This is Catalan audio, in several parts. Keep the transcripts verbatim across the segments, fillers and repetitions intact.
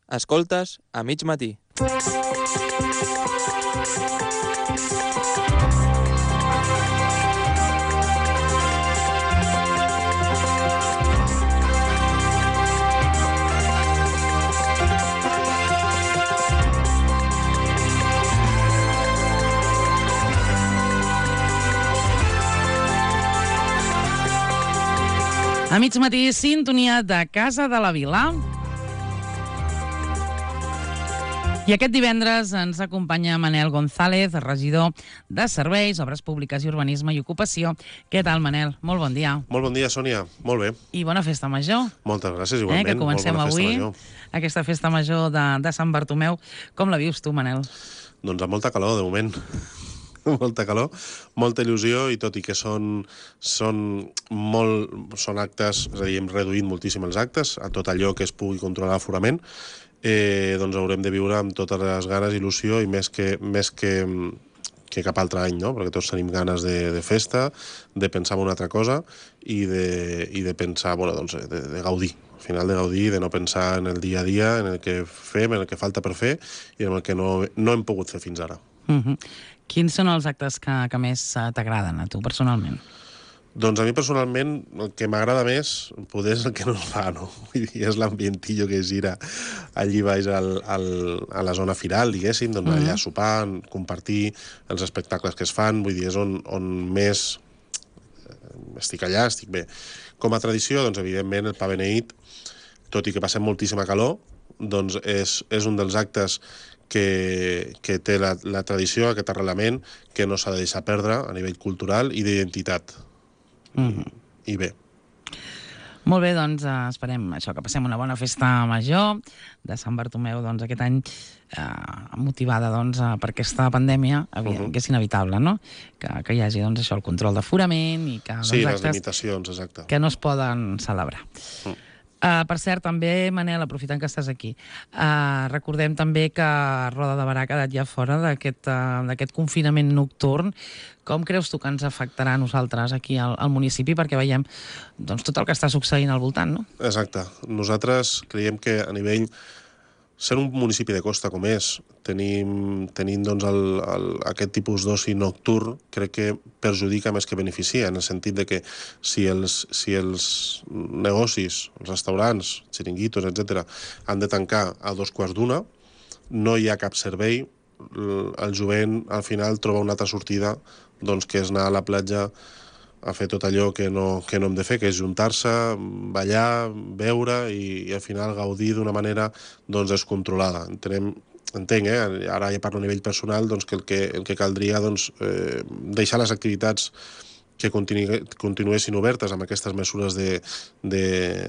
Escoltes a mig matí. A mig matí, sintonia de Casa de la Vila. I aquest divendres ens acompanya Manel González, regidor de Serveis, Obres Públiques i Urbanisme i Ocupació. Què tal, Manel? Molt bon dia. Molt bon dia, Sònia. Molt bé. I bona festa major. Moltes gràcies, igualment. Eh, que comencem Molt bona avui festa major. aquesta festa major de, de Sant Bartomeu. Com la vius tu, Manel? Doncs amb molta calor, de moment. molta calor, molta il·lusió, i tot i que són, són, molt, són actes, és a dir, hem reduït moltíssim els actes, a tot allò que es pugui controlar l'aforament, eh, doncs haurem de viure amb totes les ganes, il·lusió, i més que, més que, que cap altre any, no? Perquè tots tenim ganes de, de festa, de pensar en una altra cosa i de, i de pensar, bueno, doncs, de, de gaudir. Al final de gaudir, de no pensar en el dia a dia, en el que fem, en el que falta per fer i en el que no, no hem pogut fer fins ara. Uh-huh. Quins són els actes que, que més t'agraden a tu, personalment? Doncs a mi, personalment, el que m'agrada més, poder és el que no es fa, no? Vull dir, és l'ambientillo que gira allí baix al, al, a la zona firal, diguéssim, doncs allà Mm-hmm. sopar, compartir els espectacles que es fan, vull dir, és on, on més estic allà, estic bé. Com a tradició, doncs, evidentment, el pa beneït, tot i que passem moltíssima calor, doncs és, és un dels actes que, que té la, la tradició, aquest arrelament, que no s'ha de deixar perdre a nivell cultural i d'identitat. Mm-hmm. I bé. Molt bé, doncs eh, esperem això, que passem una bona festa major de Sant Bartomeu, doncs aquest any eh, motivada doncs, eh, per aquesta pandèmia, evident, Uh-huh. que és inevitable, no? Que, que hi hagi doncs, això, el control d'aforament i que doncs, Sí, les actes limitacions, exacte. que no es poden celebrar. Mm. Uh, per cert, també, Manel, aprofitant que estàs aquí, uh, recordem també que Roda de Barà ha quedat ja fora d'aquest uh, d'aquest confinament nocturn. Com creus tu que ens afectarà a nosaltres aquí al, al municipi? Perquè veiem doncs, tot el que està succeint al voltant, no? Exacte. Nosaltres creiem que a nivell... Sent un municipi de costa com és, tenim, tenim doncs, el, el, aquest tipus d'oci nocturn, crec que perjudica més que beneficia, en el sentit de que si els, si els negocis, els restaurants, xiringuitos, etcètera, han de tancar a dos quarts d'una, no hi ha cap servei, el jovent al final troba una altra sortida, doncs, que és anar a la platja a fer tot allò que no, que no hem de fer, que és juntar-se, ballar, beure i, i al final gaudir d'una manera doncs, descontrolada. Entenem, entenc, eh? Ara ja parlo a nivell personal, doncs, que el que, el que caldria doncs, eh, deixar les activitats que continu continuessin obertes amb aquestes mesures de, de,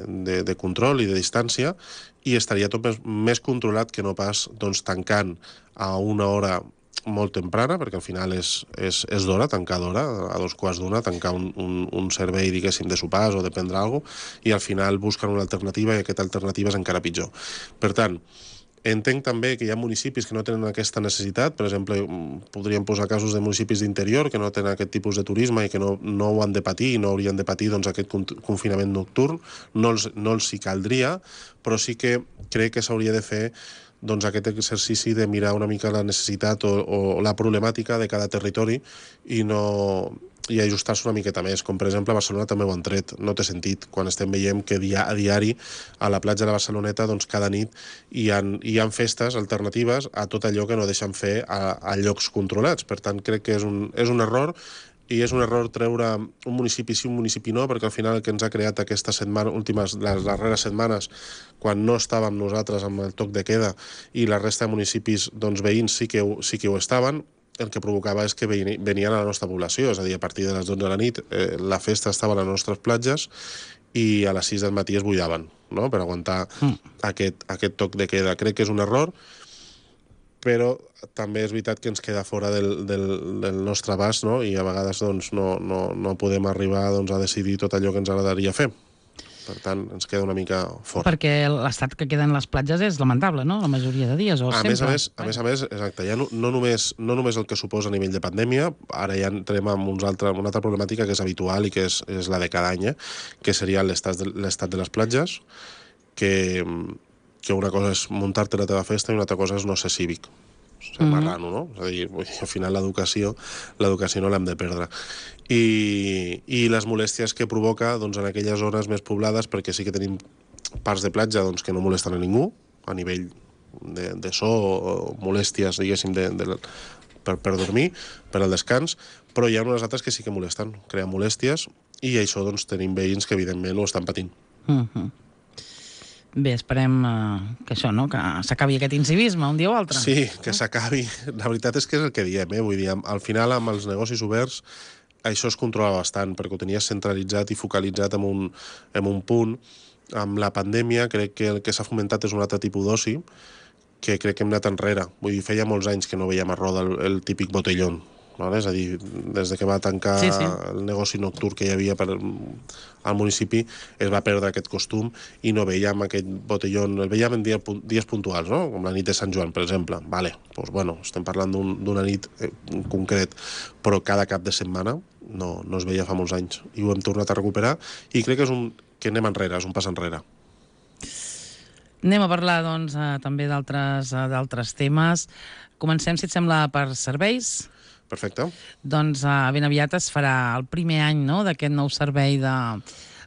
de, de control i de distància, i estaria tot més, més controlat que no pas doncs, tancant a una hora molt temprana, perquè al final és, és, és d'hora, tancar d'hora, a dos quarts d'una, tancar un, un, un servei, diguéssim, de sopars o de prendre alguna cosa, i al final busquen una alternativa, i aquesta alternativa és encara pitjor. Per tant, entenc també que hi ha municipis que no tenen aquesta necessitat. Per exemple, podríem posar casos de municipis d'interior que no tenen aquest tipus de turisme i que no, no ho han de patir i no haurien de patir doncs, aquest confinament nocturn. No els, no els hi caldria, però sí que crec que s'hauria de fer doncs, aquest exercici de mirar una mica la necessitat o, o la problemàtica de cada territori i no i ajustar-se una miqueta més, com per exemple a Barcelona també ho han tret. No té sentit quan estem veient que dia a diari a la platja de la Barceloneta doncs, cada nit hi ha, hi ha festes alternatives a tot allò que no deixen fer a, a llocs controlats. Per tant, crec que és un, és un error, i és un error treure un municipi sí, un municipi no, perquè al final el que ens ha creat aquestes setmanes, últimes, les darreres setmanes, quan no estàvem nosaltres amb el toc de queda i la resta de municipis doncs, veïns sí que, ho, sí que ho estaven, el que provocava és que venien a la nostra població, és a dir, a partir de les dotze de la nit eh, la festa estava a les nostres platges i a les sis del matí es buidaven, no?, per aguantar mm. aquest, aquest toc de queda. Crec que és un error, però també és veritat que ens queda fora del, del, del nostre abast, no? I a vegades doncs, no, no, no podem arribar doncs, a decidir tot allò que ens agradaria fer. Per tant, ens queda una mica fort. Perquè l'estat que queden les platges és lamentable, no?, la majoria de dies, o a sempre. Més a més, a més a més, exacte, ja no, no, només, no només el que suposa a nivell de pandèmia, ara ja entrem en uns altre, una altra problemàtica que és habitual i que és, és la de cada any, eh? Que seria l'estat de, l'estat de les platges, que que una cosa és muntar-te la teva festa i una altra cosa és no ser cívic, ser Mhm. marrano, no? És a dir, vull dir, al final l'educació l'educació no l'hem de perdre. I, i les molèsties que provoca doncs, en aquelles zones més poblades, perquè sí que tenim parts de platja doncs, que no molesten a ningú, a nivell de, de so o molèsties, diguéssim, de, de, per, per dormir, per al descans, però hi ha unes altres que sí que molesten, creen molèsties, i això doncs, tenim veïns que evidentment ho estan patint. Mhm. Bé, esperem eh, que això, no?, que s'acabi aquest incivisme un dia o altre. Sí, que s'acabi. La veritat és que és el que diem, eh? Vull dir, al final, amb els negocis oberts, això es controla bastant, perquè ho tenies centralitzat i focalitzat en un, en un punt. Amb la pandèmia crec que el que s'ha fomentat és un altre tipus d'oci, que crec que hem anat enrere. Vull dir, feia molts anys que no veiem a Roda el, el típic botellón. Vale? És a dir, des de que va tancar Sí, sí. el negoci nocturn que hi havia per, al municipi, es va perdre aquest costum i no veiem aquest botellón, el veiem en dia, dies puntuals, no? Com la nit de Sant Joan, per exemple. Vale, doncs, bueno, estem parlant d'una un, nit eh, concret, però cada cap de setmana no, no es veia fa molts anys i ho hem tornat a recuperar i crec que és un que anem enrere, és un pas enrere. Anem a parlar, doncs, eh, també d'altres eh, d'altres temes. Comencem, si et sembla, per serveis. Perfecte. Doncs eh, ben aviat es farà el primer any, no?, d'aquest nou servei de,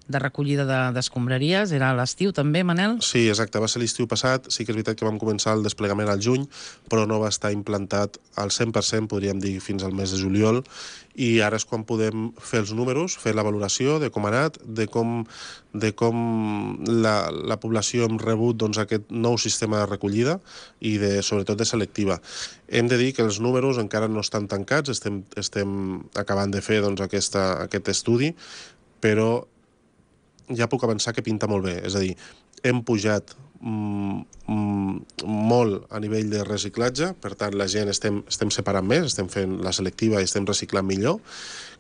de recollida de- d'escombraries. Era a l'estiu també, Manel? Sí, exacte, va ser l'estiu passat, sí que és veritat que vam començar el desplegament al juny, però no va estar implantat al cent per cent, podríem dir, fins al mes de juliol, i ara és quan podem fer els números, fer la valoració de com ha anat, de com, de com la, la població hem rebut doncs, aquest nou sistema de recollida i de, sobretot de selectiva. Hem de dir que els números encara no estan tancats, estem, estem acabant de fer doncs, aquesta, aquest estudi, però ja puc avançar que pinta molt bé. És a dir, hem pujat mm, mm, molt a nivell de reciclatge, per tant, la gent estem, estem separant més, estem fent la selectiva i estem reciclant millor,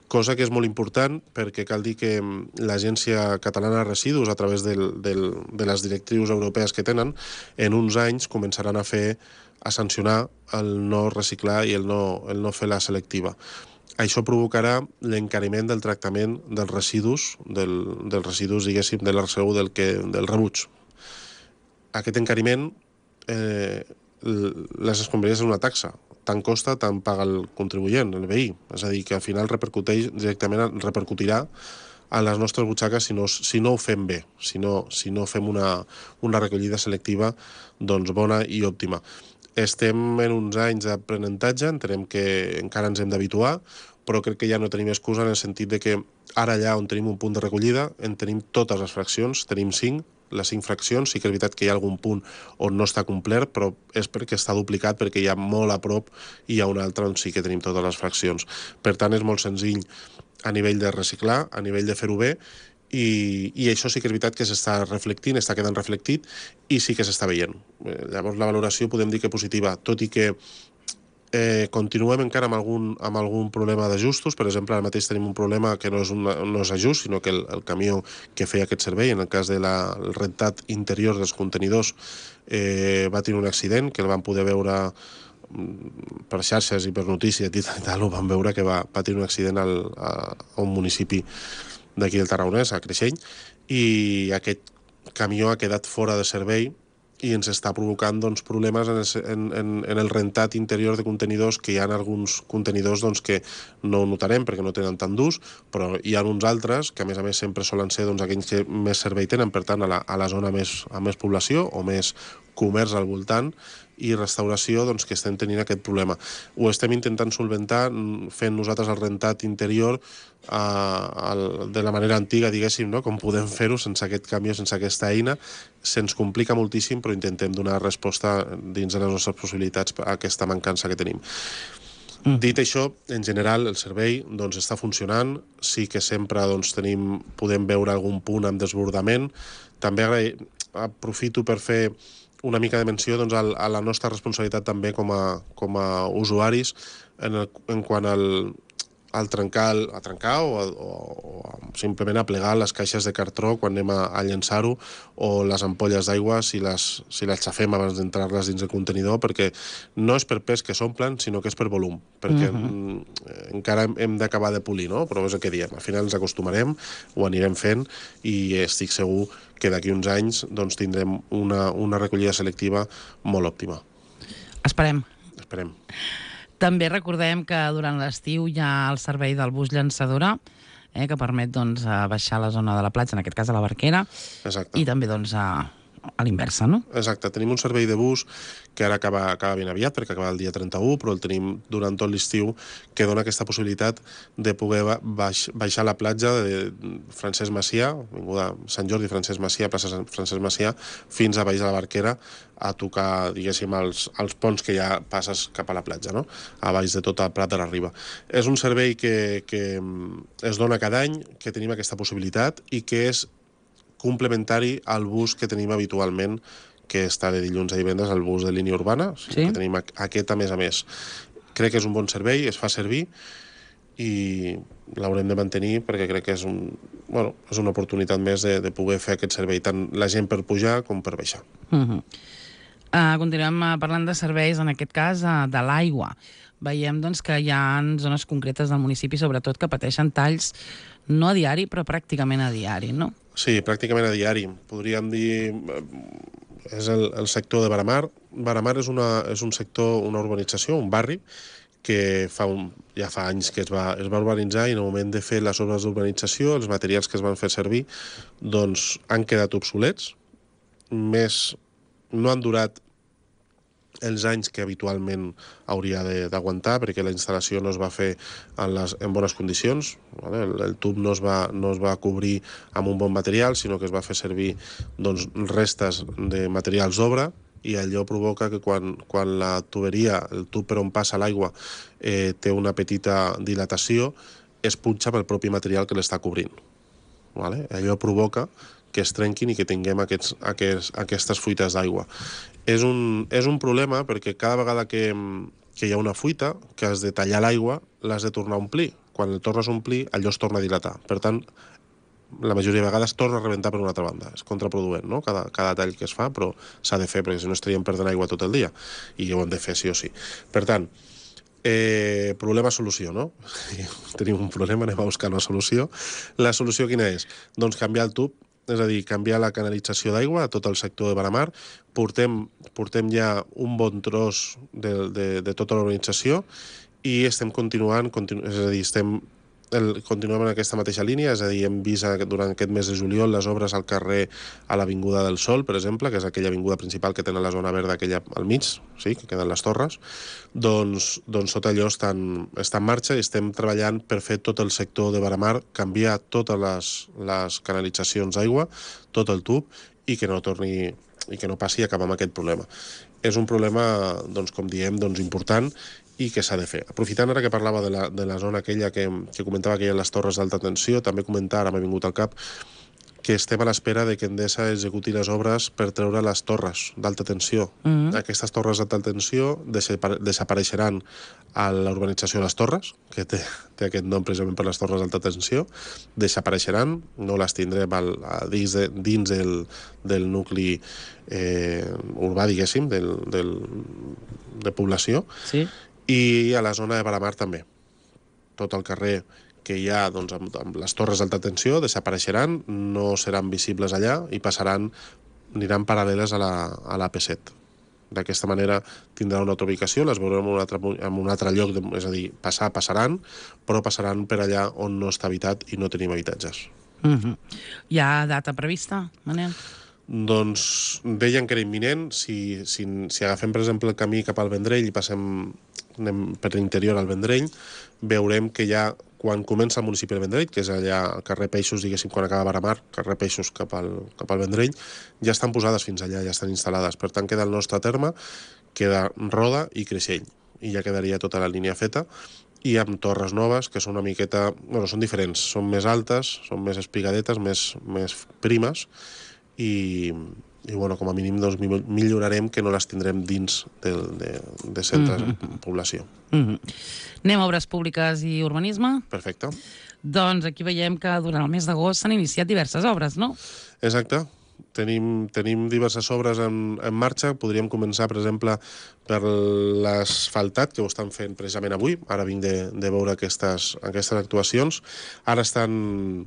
cosa que és molt important perquè cal dir que l'Agència Catalana de Residus, a través del, del, de les directrius europees que tenen, en uns anys començaran a fer a sancionar el no reciclar i el no, el no fer la selectiva. Això provocarà l'encariment del tractament dels residus, del, dels residus, diguéssim, de l'R C U del, que, del rebuig. Aquest encariment, eh, les escombraries és una taxa. Tant costa, tant paga el contribuent, el veí. És a dir, que al final repercuteix directament, repercutirà a les nostres butxaques si no, si no ho fem bé, si no, si no fem una, una recollida selectiva doncs, bona i òptima. Estem en uns anys d'aprenentatge, entenem que encara ens hem d'habituar, però crec que ja no tenim excusa en el sentit de que ara allà on tenim un punt de recollida en tenim totes les fraccions, tenim cinc, les cinc fraccions, sí que és veritat que hi ha algun punt on no està complert, però és perquè està duplicat, perquè hi ha molt a prop i hi ha un altre on sí que tenim totes les fraccions. Per tant, és molt senzill a nivell de reciclar, a nivell de fer-ho bé, i, i això sí que és veritat que s'està reflectint, està quedant reflectit i sí que s'està veient. Eh, llavors la valoració podem dir que positiva, tot i que eh, continuem encara amb algun, amb algun problema d'ajustos. Per exemple, ara mateix tenim un problema que no és, una, no és ajust, sinó que el, el camió que feia aquest servei, en el cas del de rentat interior dels contenidors, eh, va tenir un accident que el van poder veure per xarxes i per notícies i tal, ho van veure que va patir un accident al, a, a un municipi d'aquí del Tarragonès, a Creixell, i aquest camió ha quedat fora de servei i ens està provocant doncs, problemes en el, en, en el rentat interior de contenidors, que hi ha alguns contenidors doncs, que no ho notarem perquè no tenen tant d'ús, però hi ha uns altres que a més a més sempre solen ser doncs, aquells que més servei tenen, per tant a la, a la zona més, amb més població o més comerç al voltant i restauració doncs, que estem tenint aquest problema. Ho estem intentant solventar fent nosaltres el rentat interior eh, el, de la manera antiga, diguéssim, no? Com podem fer-ho sense aquest camió, sense aquesta eina. Se'ns complica moltíssim, però intentem donar resposta dins de les nostres possibilitats a aquesta mancança que tenim. Mm. Dit això, en general, el servei doncs, està funcionant. Sí que sempre doncs, tenim, podem veure algun punt amb desbordament. També agraï... aprofito per fer una mica de menció doncs, a la nostra responsabilitat també com a, com a usuaris en, el, en quant al, al trencar, el, a trencar o, o, o simplement a plegar les caixes de cartró quan anem a, a llançar-ho, o les ampolles d'aigua si les, si les xafem abans d'entrar-les dins el contenidor, perquè no és per pes que s'omplen, sinó que és per volum, perquè uh -huh. encara hem, hem d'acabar de polir, no? Però és el que diem, al final ens acostumarem, ho anirem fent, i estic segur que d'aquí uns anys doncs, tindrem una, una recollida selectiva molt òptima. Esperem. Esperem. També recordem que durant l'estiu hi ha el servei del bus llançadora, eh, que permet doncs, baixar a la zona de la platja, en aquest cas a la Barquera. Exacte. I també doncs, a, a l'inversa, no? Exacte. Tenim un servei de bus que ara acaba, acaba ben aviat, perquè acaba el dia trenta-u, però el tenim durant tot l'estiu, que dona aquesta possibilitat de poder baix, baixar a la platja de Francesc Macià, vinguda Sant Jordi Francesc Macià, plaça Francesc Macià, fins a baix de la Barquera, a tocar, diguéssim, els, els ponts que ja passes cap a la platja, no? A baix de tot el Prat de la Riba. És un servei que, que es dona cada any, que tenim aquesta possibilitat i que és complementari al bus que tenim habitualment, que està de dilluns a divendres, el bus de línia urbana, sí? Que tenim aquest a més a més. Crec que és un bon servei, es fa servir i l'haurem de mantenir perquè crec que és, un, bueno, és una oportunitat més de, de poder fer aquest servei, tant la gent per pujar com per baixar. Uh-huh. Uh, continuem parlant de serveis, en aquest cas, uh, de l'aigua. Veiem doncs, que hi ha zones concretes del municipi, sobretot, que pateixen talls no a diari, però pràcticament a diari, no? Sí, pràcticament a diari. Podríem dir... És el, el sector de Baramar. Baramar és, una, és un sector, una urbanització, un barri, que fa un, ja fa anys que es va, es va urbanitzar, i en el moment de fer les obres d'urbanització, els materials que es van fer servir doncs, han quedat obsolets. Més, no han durat els anys que habitualment hauria d'aguantar, perquè la instal·lació no es va fer en, les, en bones condicions, vale? el, el tub no es, va, no es va cobrir amb un bon material, sinó que es va fer servir doncs, restes de materials d'obra, i allò provoca que quan, quan la tuberia, el tub per on passa l'aigua, eh, té una petita dilatació, es punxa pel propi material que l'està cobrint. Vale? Allò provoca que es trenquin i que tinguem aquests, aquests, aquestes fuites d'aigua. És un, és un problema perquè cada vegada que, que hi ha una fuita, que has de tallar l'aigua, l'has de tornar a omplir. Quan el tornes a omplir, allò es torna a dilatar. Per tant, la majoria de vegades torna a rebentar per una altra banda. És contraproduent, no?, cada, cada tall que es fa, però s'ha de fer, perquè si no estaríem perdent aigua tot el dia, i ho hem de fer sí o sí. Per tant, eh, problema-solució, no? Tenim un problema, anem a buscar una solució. La solució quina és? Doncs canviar el tub, és a dir, canviar la canalització d'aigua a tot el sector de Baramar. Portem, portem ja un bon tros de, de, de tota l'organització i estem continuant, continu, és a dir, estem el, continuem en aquesta mateixa línia, és a dir, hem vist durant aquest mes de juliol les obres al carrer a l'Avinguda del Sol, per exemple, que és aquella avinguda principal que tenen la zona verda aquella al mig, sí, que queden les torres, doncs, doncs tot allò està en, està en marxa i estem treballant per fer tot el sector de Baramar, canviar totes les, les canalitzacions d'aigua, tot el tub, i que no torni i que no passi a acabar amb aquest problema. És un problema, doncs, com diem, doncs, important i que s'ha de fer. Aprofitant ara que parlava de la, de la zona aquella que, que comentava que hi ha les torres d'alta tensió, també comentar, ara m'ha vingut al cap, que estem a l'espera de que Endesa executi les obres per treure les torres d'alta tensió. Mm-hmm. Aquestes torres d'alta tensió desapareixeran a l'urbanització de les Torres, que té, té aquest nom precisament per les torres d'alta tensió, desapareixeran, no les tindrem al, a, dins, de, dins del, del nucli eh, urbà, diguéssim, del, del, de població, sí. I a la zona de Baramar també. Tot el carrer que hi ha doncs, amb, amb les torres d'alta tensió desapareixeran, no seran visibles allà i passaran, aniran paral·leles a la, a l'A P set. D'aquesta manera tindran una altra ubicació, les veurem en un altre, en un altre lloc, de, és a dir, passar, passaran, però passaran per allà on no està habitat i no tenim habitatges. Mm-hmm. Hi ha data prevista, Manel? Doncs deien que era imminent. Si, si, si agafem, per exemple, el camí cap al Vendrell i passem anem per l'interior al Vendrell, veurem que ja quan comença el municipi del Vendrell, que és allà al carrer Peixos, diguéssim, quan acaba Baramar, carrer Peixos cap al, cap al Vendrell, ja estan posades fins allà, ja estan instal·lades. Per tant, queda el nostre terme, queda Roda i Creixell, i ja quedaria tota la línia feta, i amb torres noves, que són una miqueta... Bueno, són diferents, són més altes, són més espigadetes, més, més primes, i, i bueno, com a mínim doncs, millorarem que no les tindrem dins de, de, de centres mm-hmm. en població. Mm-hmm. Anem a obres públiques i urbanisme. Perfecte. Doncs aquí veiem que durant el mes d'agost s'han iniciat diverses obres, no? Exacte. Tenim, tenim diverses obres en, en marxa. Podríem començar, per exemple, per l'asfaltat, que ho estan fent precisament avui. Ara vinc de, de veure aquestes, aquestes actuacions. Ara estan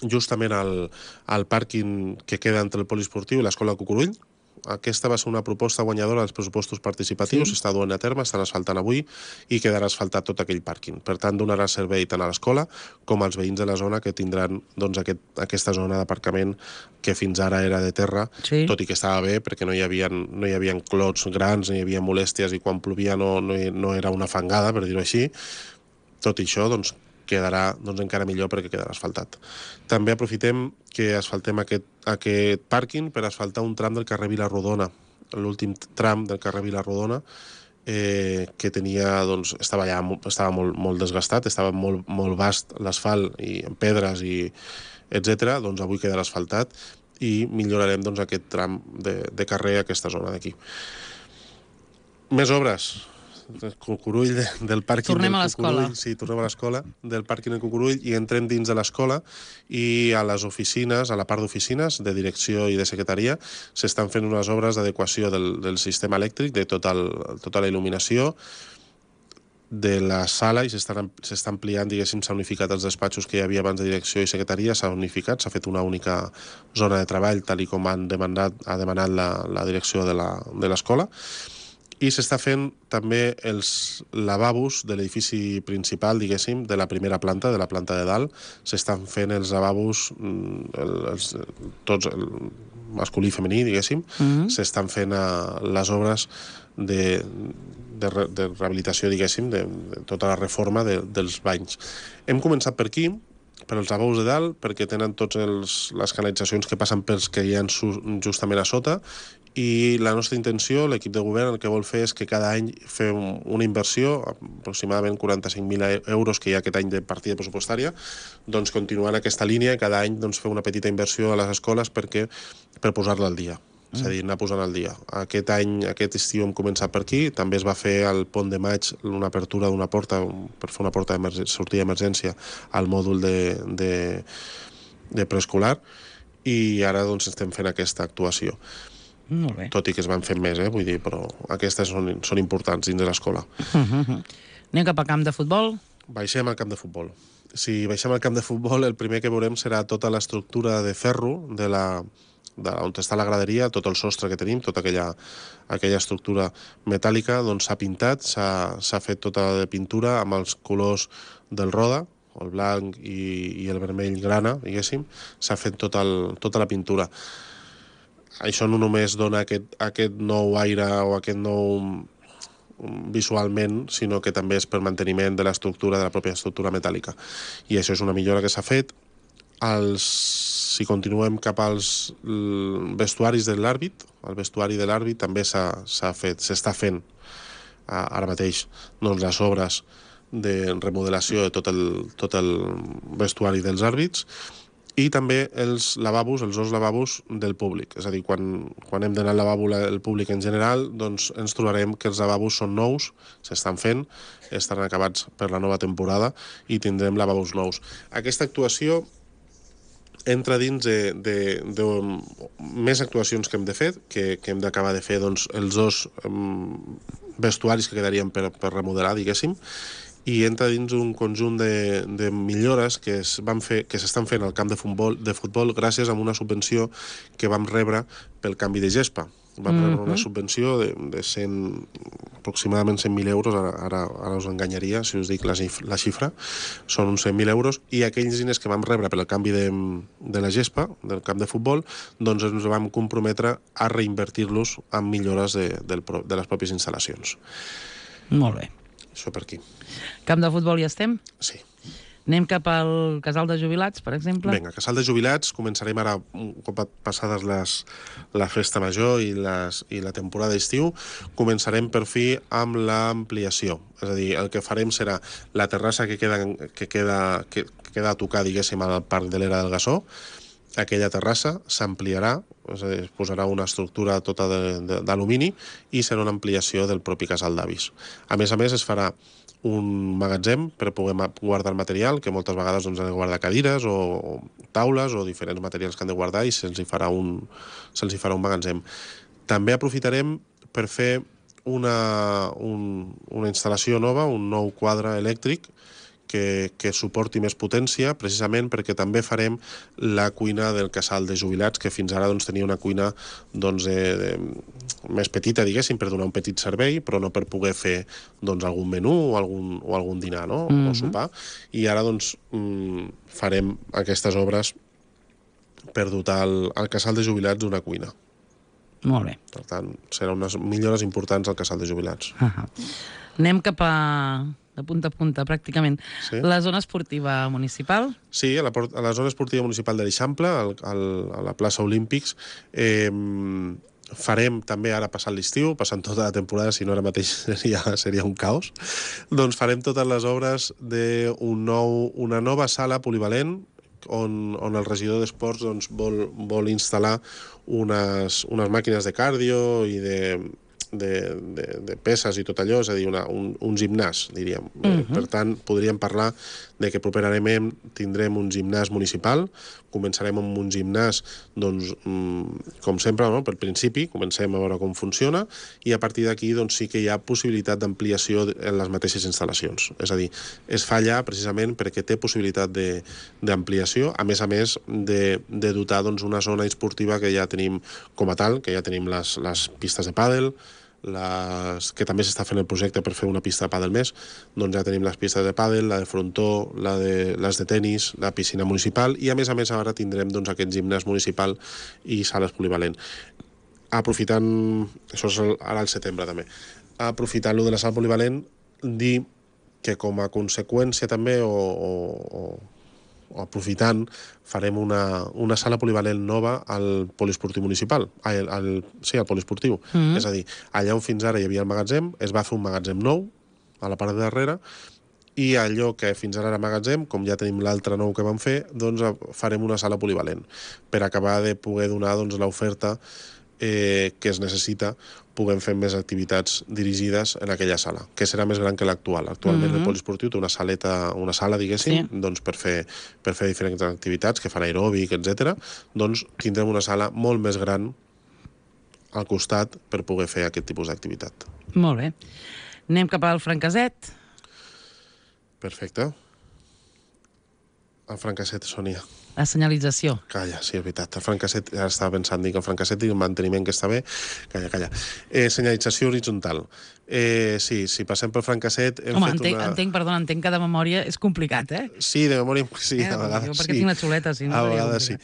justament al, al pàrquing que queda entre el poliesportiu i l'escola Cucurull. Aquesta va ser una proposta guanyadora dels pressupostos participatius, s'està sí. duent a terme, estan asfaltant avui i quedarà asfaltat tot aquell pàrquing. Per tant, donarà servei tant a l'escola com als veïns de la zona que tindran doncs, aquest, aquesta zona d'aparcament que fins ara era de terra, sí. tot i que estava bé perquè no hi havia, no hi havia clots grans, no hi havia molèsties i quan plovia no, no, no era una fangada, per dir-ho així. Tot i això, doncs, quedarà doncs, encara millor perquè quedarà asfaltat. També aprofitem que asfaltem aquest, aquest pàrquing per asfaltar un tram del carrer Vila-rodona, l'últim tram del carrer Vila-rodona, eh, que tenia, doncs, estava ja estava molt, molt desgastat, estava molt, molt vast l'asfalt i en pedres i etcètera. Doncs avui quedarà asfaltat i millorarem doncs, aquest tram de, de carrer a aquesta zona d'aquí. Més obres. Del Cucurull, de, del pàrquing tornem del a l'escola. Sí, tornem a l'escola, del pàrquing del Cucurull i entrem dins de l'escola i a les oficines, a la part d'oficines, de direcció i de secretaria, s'estan fent unes obres d'adequació del, del sistema elèctric, de tota, el, tota la il·luminació de la sala i s'està ampliant, diguéssim, s'ha unificat els despatxos que hi havia abans de direcció i secretaria, s'ha unificat, s'ha fet una única zona de treball, tal i com han demanat, ha demanat la, la direcció de l'escola. I s'està fent també els lavabos de l'edifici principal, diguéssim, de la primera planta, de la planta de dalt. S'estan fent els lavabos, els, tots, el masculí i femení, diguéssim. Mm-hmm. S'estan fent uh, les obres de, de, de rehabilitació, diguéssim, de, de tota la reforma de, dels banys. Hem començat per aquí, per als lavabos de dalt, perquè tenen totes les canalitzacions que passen pels que hi ha justament a sota, i la nostra intenció, l'equip de govern, el que vol fer és que cada any fem una inversió, aproximadament quaranta-cinc mil euros que hi ha aquest any de partida pressupostària, doncs continuant aquesta línia, cada any doncs, fer una petita inversió a les escoles perquè, per posar-la al dia. És a dir, anar posant al dia. Aquest any, aquest estiu hem començat per aquí, també es va fer al Pont de Maig una apertura d'una porta, per fer una porta de sortida d'emergència al mòdul de, de, de preescolar, i ara doncs, estem fent aquesta actuació. Molt bé. Tot i que es van fent més, eh? Vull dir, però aquestes són, són importants dins de l'escola. Uh-huh. Anem cap al camp de futbol? Baixem al camp de futbol. Si baixem al camp de futbol, el primer que veurem serà tota l'estructura de ferro de la... De on està la graderia, tot el sostre que tenim, tota aquella, aquella estructura metàl·lica, doncs s'ha pintat, s'ha fet tota de pintura amb els colors del Roda, el blanc i, i el vermell grana, diguéssim, s'ha fet tot el, tota la pintura. Això no només dona aquest, aquest nou aire o aquest nou visualment, sinó que també és per manteniment de l'estructura, de la pròpia estructura metàl·lica. I això és una millora que s'ha fet. Els, si continuem cap als vestuaris de l'àrbit, el vestuari de l'àrbit també s'ha fet, s'està fent ara mateix doncs, les obres de remodelació de tot el, tot el vestuari dels àrbits, i també els lavabos, els dos lavabos del públic. És a dir, quan, quan hem d'anar al lavabo el públic en general, doncs ens trobarem que els lavabos són nous, s'estan fent, estan acabats per la nova temporada i tindrem lavabos nous. Aquesta actuació entra dins de, de, de més actuacions que hem de fer, que, que hem d'acabar de fer doncs, els dos um, vestuaris que quedarien per, per remodelar, diguéssim, i entra dins un conjunt de, de millores que es van fer, que s'estan fent al camp de futbol, de futbol gràcies a una subvenció que vam rebre pel canvi de gespa. Vam mm-hmm. rebre una subvenció de, de cent, aproximadament cent mil euros, ara, ara, ara us enganyaria si us dic la, la xifra, són uns cent mil euros, i aquells diners que vam rebre pel canvi de, de la gespa, del camp de futbol, doncs ens vam comprometre a reinvertir-los en millores de, del, de les pròpies instal·lacions. Molt bé. Això per aquí. Camp de futbol ja estem? Sí. Anem cap al casal de jubilats, per exemple? Vinga, casal de jubilats, començarem ara, un cop passades les, la festa major i, les, i la temporada d'estiu, començarem per fi amb l'ampliació. És a dir, el que farem serà la terrassa que queda, que queda, que queda a tocar, diguéssim, al Parc de l'Era del Gassó, aquella terrassa s'ampliarà, és a dir, es posarà una estructura tota d'alumini i serà una ampliació del propi casal d'avis. A més a més, es farà un magatzem per poder guardar el material, que moltes vegades doncs, han de guardar cadires o, o taules o diferents materials que han de guardar i se'ls hi farà un, se'ls hi farà un magatzem. També aprofitarem per fer una, un, una instal·lació nova, un nou quadre elèctric que, que suporti més potència, precisament perquè també farem la cuina del casal de jubilats, que fins ara doncs, tenia una cuina doncs, de, de, més petita, diguéssim, per donar un petit servei, però no per poder fer doncs, algun menú o algun, o algun dinar, no? Mm-hmm. O sopar. I ara doncs, farem aquestes obres per dotar el, el casal de jubilats d'una cuina. Molt bé. Per tant, seran unes millores importants al casal de jubilats. Uh -huh. Anem cap a, de punta a punta, pràcticament. Sí? La zona esportiva municipal? Sí, a la, a la zona esportiva municipal de l'Eixample, al, al, a la plaça Olímpics, eh, farem també, ara passant l'estiu, passant tota la temporada, si no ara mateix seria, seria un caos, doncs farem totes les obres d'una nou, una nova sala polivalent, on, on el regidor d'Esports doncs, vol, vol instal·lar unes, unes màquines de cardio i de, de, de, de peses i tot allò, és a dir, una, un, un gimnàs, diríem. Uh -huh. Per tant, podríem parlar de que properament tindrem un gimnàs municipal, començarem amb un gimnàs, doncs, com sempre, no? Per principi, comencem a veure com funciona, i a partir d'aquí doncs, sí que hi ha possibilitat d'ampliació en les mateixes instal·lacions. És a dir, es fa allà precisament perquè té possibilitat d'ampliació, a més a més de, de dotar doncs, una zona esportiva que ja tenim com a tal, que ja tenim les, les pistes de pàdel, les, que també s'està fent el projecte per fer una pista de pàdel més, doncs ja tenim les pistes de pàdel, la de frontó, la de, les de tennis, la piscina municipal, i a més a més ara tindrem doncs, aquest gimnàs municipal i sales polivalent. Aprofitant, això és ara al setembre també, aprofitant-lo de la sala polivalent, dir que com a conseqüència també, o, o, o aprofitant, farem una, una sala polivalent nova al poliesportiu municipal, al, al, sí, al poliesportiu. Mm-hmm. És a dir, allà on fins ara hi havia el magatzem, es va fer un magatzem nou, a la part de darrere, i allò que fins ara era magatzem, com ja tenim l'altre nou que vam fer, doncs farem una sala polivalent, per acabar de poder donar doncs, l'oferta eh, que es necessita, puguem fer més activitats dirigides en aquella sala, que serà més gran que l'actual. Actualment mm-hmm. el poliesportiu té una saleta, una sala, diguéssim, sí. doncs per fer, per fer diferents activitats, que fan aeròbic, etcètera. Doncs tindrem una sala molt més gran al costat per poder fer aquest tipus d'activitat. Molt bé. Anem cap al Francaset. Perfecte. El Francasset, Sònia. La senyalització. Calla, sí, és veritat. El Francasset, ara estava pensant, dic, el Francasset i el manteniment que està bé. Calla, calla. Eh, senyalització horitzontal. Eh, sí, si passem pel Francasset... Hem Home, fet entenc, una... entenc, perdona, entenc que de memòria és complicat, eh? Sí, de memòria, sí, eh, a vegades jo sí. perquè tinc una xuleta, si no... A vegades sí.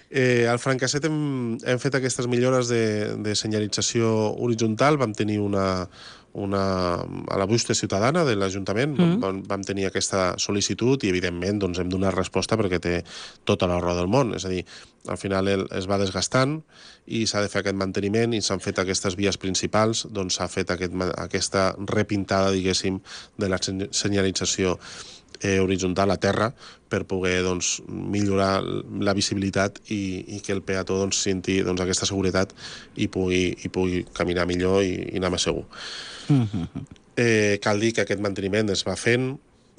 Eh, al Francasset hem, hem fet aquestes millores de, de senyalització horitzontal. Vam tenir una... una, a la bústia ciutadana de l'Ajuntament, mm. vam, vam tenir aquesta sol·licitud i, evidentment, doncs, hem donat resposta perquè té tota la raó del món. És a dir, al final el, es va desgastant i s'ha de fer aquest manteniment i s'han fet aquestes vies principals, doncs s'ha fet aquest, aquesta repintada, diguéssim, de la senyalització eh, horitzontal a terra per poder doncs, millorar la visibilitat i, i que el peató doncs, senti doncs, aquesta seguretat i pugui, i pugui caminar millor i, i anar més segur. Mm-hmm. eh, cal dir que aquest manteniment es va fent,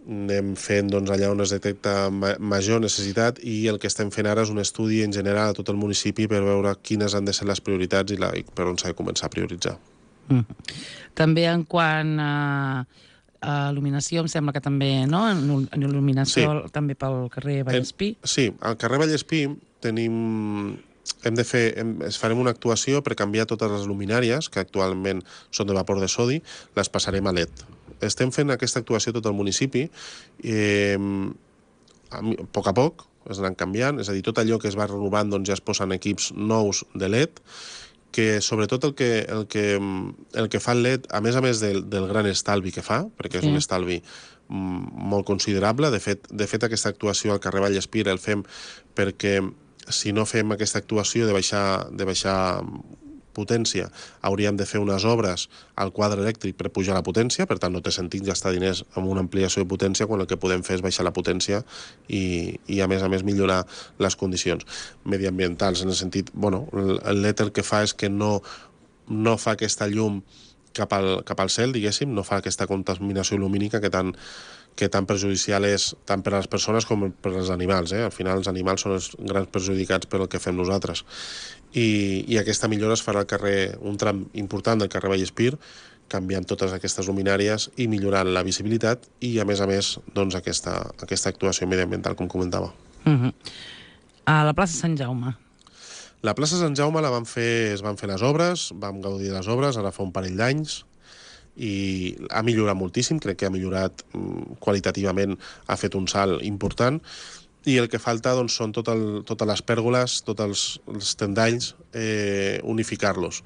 anem fent doncs, allà on es detecta ma major necessitat, i el que estem fent ara és un estudi en general a tot el municipi per veure quines han de ser les prioritats i, la, i per on s'ha de començar a prioritzar. Mm. També en quant a, a il·luminació, em sembla que també, no? En, en il·luminació sí. També pel carrer Vallespí. En, sí, al carrer Vallespí tenim... Hem de fer, hem, farem una actuació per canviar totes les luminàries, que actualment són de vapor de sodi, les passarem a L E D. Estem fent aquesta actuació a tot el municipi, eh, a, a poc a poc, es anant canviant, és a dir, tot allò que es va renovant doncs ja es posen equips nous de L E D, que sobretot el que, el que, el que fa el L E D, a més a més del, del gran estalvi que fa, perquè és sí. un estalvi molt considerable, de fet, de fet aquesta actuació al carrer Vallespí el fem perquè si no fem aquesta actuació de baixar, de baixar potència, hauríem de fer unes obres al quadre elèctric per pujar la potència, per tant no té sentit gastar diners en una ampliació de potència quan el que podem fer és baixar la potència i, i a més a més millorar les condicions mediambientals, en el sentit, bueno, el L E D el que fa és que no, no fa aquesta llum cap al, cap al cel, diguéssim, no fa aquesta contaminació lumínica que tan, que tan perjudicial és tant per a les persones com per als animals. Eh? Al final els animals són els grans perjudicats per el que fem nosaltres. I, i aquesta millora es farà al carrer, un tram important del carrer Vallespir, canviant totes aquestes luminàries i millorant la visibilitat i, a més a més, doncs, aquesta, aquesta actuació mediambiental, com comentava. Uh-huh. A la plaça Sant Jaume. La plaça Sant Jaume la van fer, es van fer les obres, vam gaudir de les obres, ara fa un parell d'anys, i ha millorat moltíssim, crec que ha millorat qualitativament, ha fet un salt important, i el que falta doncs, són tot el, totes les pèrgoles, tots els, els tendalls, eh, unificar-los.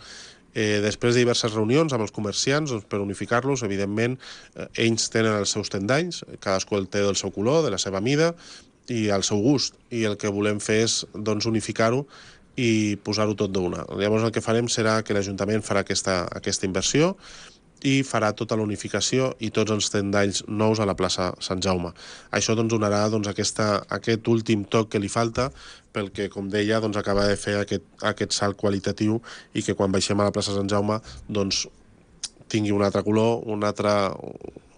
Eh, després de diverses reunions amb els comerciants doncs, per unificar-los, evidentment, eh, ells tenen els seus tendalls, cadascú el té del seu color, de la seva mida, i al seu gust, i el que volem fer és doncs, unificar-ho i posar-ho tot d'una. Llavors el que farem serà que l'Ajuntament farà aquesta, aquesta inversió i farà tota la unificació i tots els tendalls nous a la plaça Sant Jaume. Això doncs, donarà doncs, aquesta, aquest últim toc que li falta pel que, com deia, doncs, acaba de fer aquest, aquest salt qualitatiu i que quan baixem a la plaça Sant Jaume doncs, tingui un altre color, un altre,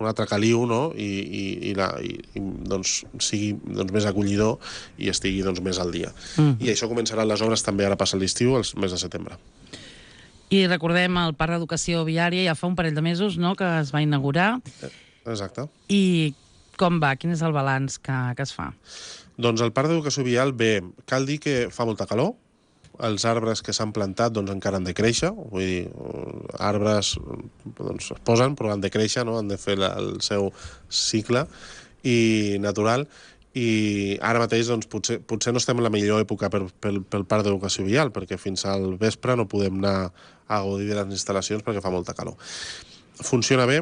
un altre caliu, no? I, i, i, la, i, i doncs, sigui doncs, més acollidor i estigui doncs, més al dia. Mm. I això començaran les obres també ara passa l'estiu, el mes de setembre. I recordem el Parc d'Educació Viària, ja fa un parell de mesos, no?, que es va inaugurar. Exacte. I com va? Quin és el balanç que, que es fa? Doncs el Parc d'Educació Vial, bé, cal dir que fa molta calor, els arbres que s'han plantat doncs, encara han de créixer, vull dir, arbres doncs, es posen però han de créixer, no? Han de fer la, el seu cicle i natural, i ara mateix doncs, potser, potser no estem en la millor època per, pel, pel Parc d'Educació Vial, perquè fins al vespre no podem anar a gaudir de les instal·lacions perquè fa molta calor. Funciona bé,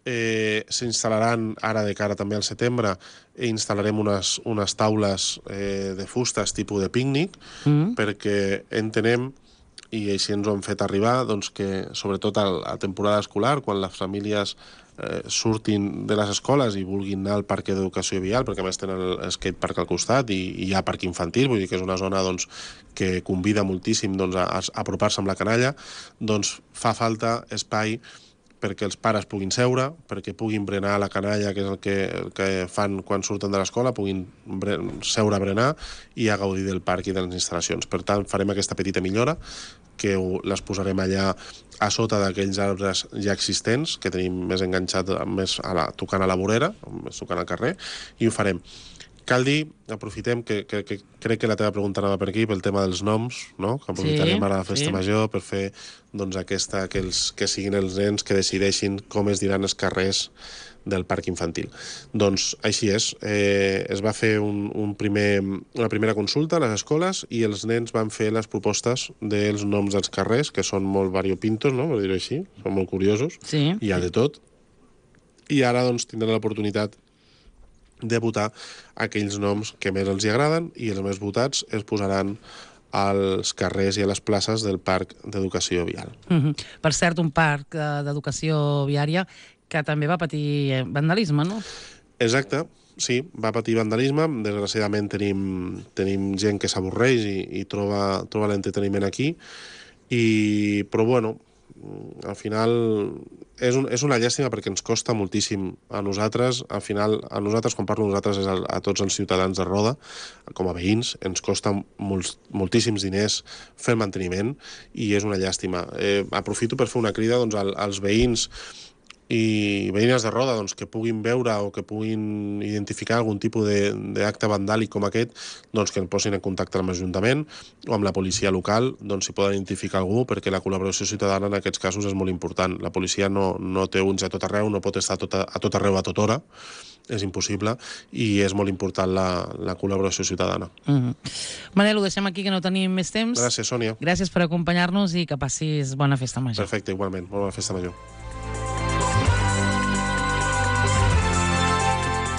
eh, s'instal·laran ara de cara també al setembre, i instal·larem unes, unes taules eh, de fustes tipus de pícnic, mm. perquè entenem, i així ens ho han fet arribar, doncs que sobretot a la temporada escolar, quan les famílies eh, surtin de les escoles i vulguin anar al parc d'educació vial, perquè a més tenen el skatepark al costat i, i hi ha parc infantil, vull dir que és una zona doncs, que convida moltíssim doncs, a, a apropar-se amb la canalla, doncs fa falta espai perquè els pares puguin seure, perquè puguin berenar a la canalla, que és el que, el que fan quan surten de l'escola, puguin seure a berenar i a gaudir del parc i de les instal·lacions. Per tant, farem aquesta petita millora, que les posarem allà a sota d'aquells arbres ja existents, que tenim més enganxat, més a la, tocant a la vorera, més tocant al carrer, i ho farem. Cal dir, aprofitem, que, que, que crec que la teva pregunta anava per aquí, pel tema dels noms, no? Que aprofitarem sí, ara la festa sí. major per fer doncs, aquesta, que, els, que siguin els nens que decideixin com es diran els carrers del parc infantil. Doncs així és. Eh, es va fer un, un primer, una primera consulta a les escoles i els nens van fer les propostes dels noms dels carrers, que són molt variopintos, no? Per dir-ho així, són molt curiosos, sí. Hi ha de tot. I ara doncs, tindran l'oportunitat de votar aquells noms que més els hi agraden i els més votats es posaran als carrers i a les places del Parc d'Educació Vial. Mm-hmm. Per cert, un parc d'educació viària que també va patir vandalisme, no? Exacte, sí, va patir vandalisme. Desgraciadament tenim, tenim gent que s'avorreix i, i troba, troba l'entreteniment aquí, i, però bueno, al final és, un, és una llàstima perquè ens costa moltíssim a nosaltres, al final a nosaltres, quan parlo nosaltres és a, a tots els ciutadans de Roda, com a veïns, ens costa molts, moltíssims diners fer el manteniment i és una llàstima. Eh, aprofito per fer una crida doncs, als veïns i veïnes de Roda doncs, que puguin veure o que puguin identificar algun tipus d'acte vandàlic com aquest, doncs, que ens posin en contacte amb l'Ajuntament o amb la policia local, doncs, si poden identificar algú, perquè la col·laboració ciutadana en aquests casos és molt important. La policia no, no té uns a tot arreu, no pot estar a tot, a tot arreu a tota hora, és impossible, i és molt important la, la col·laboració ciutadana. Mm-hmm. Manel, ho deixem aquí, que no tenim més temps. Gràcies, Sònia. Gràcies per acompanyar-nos i que passis bona festa major. Perfecte, igualment. Bona festa major.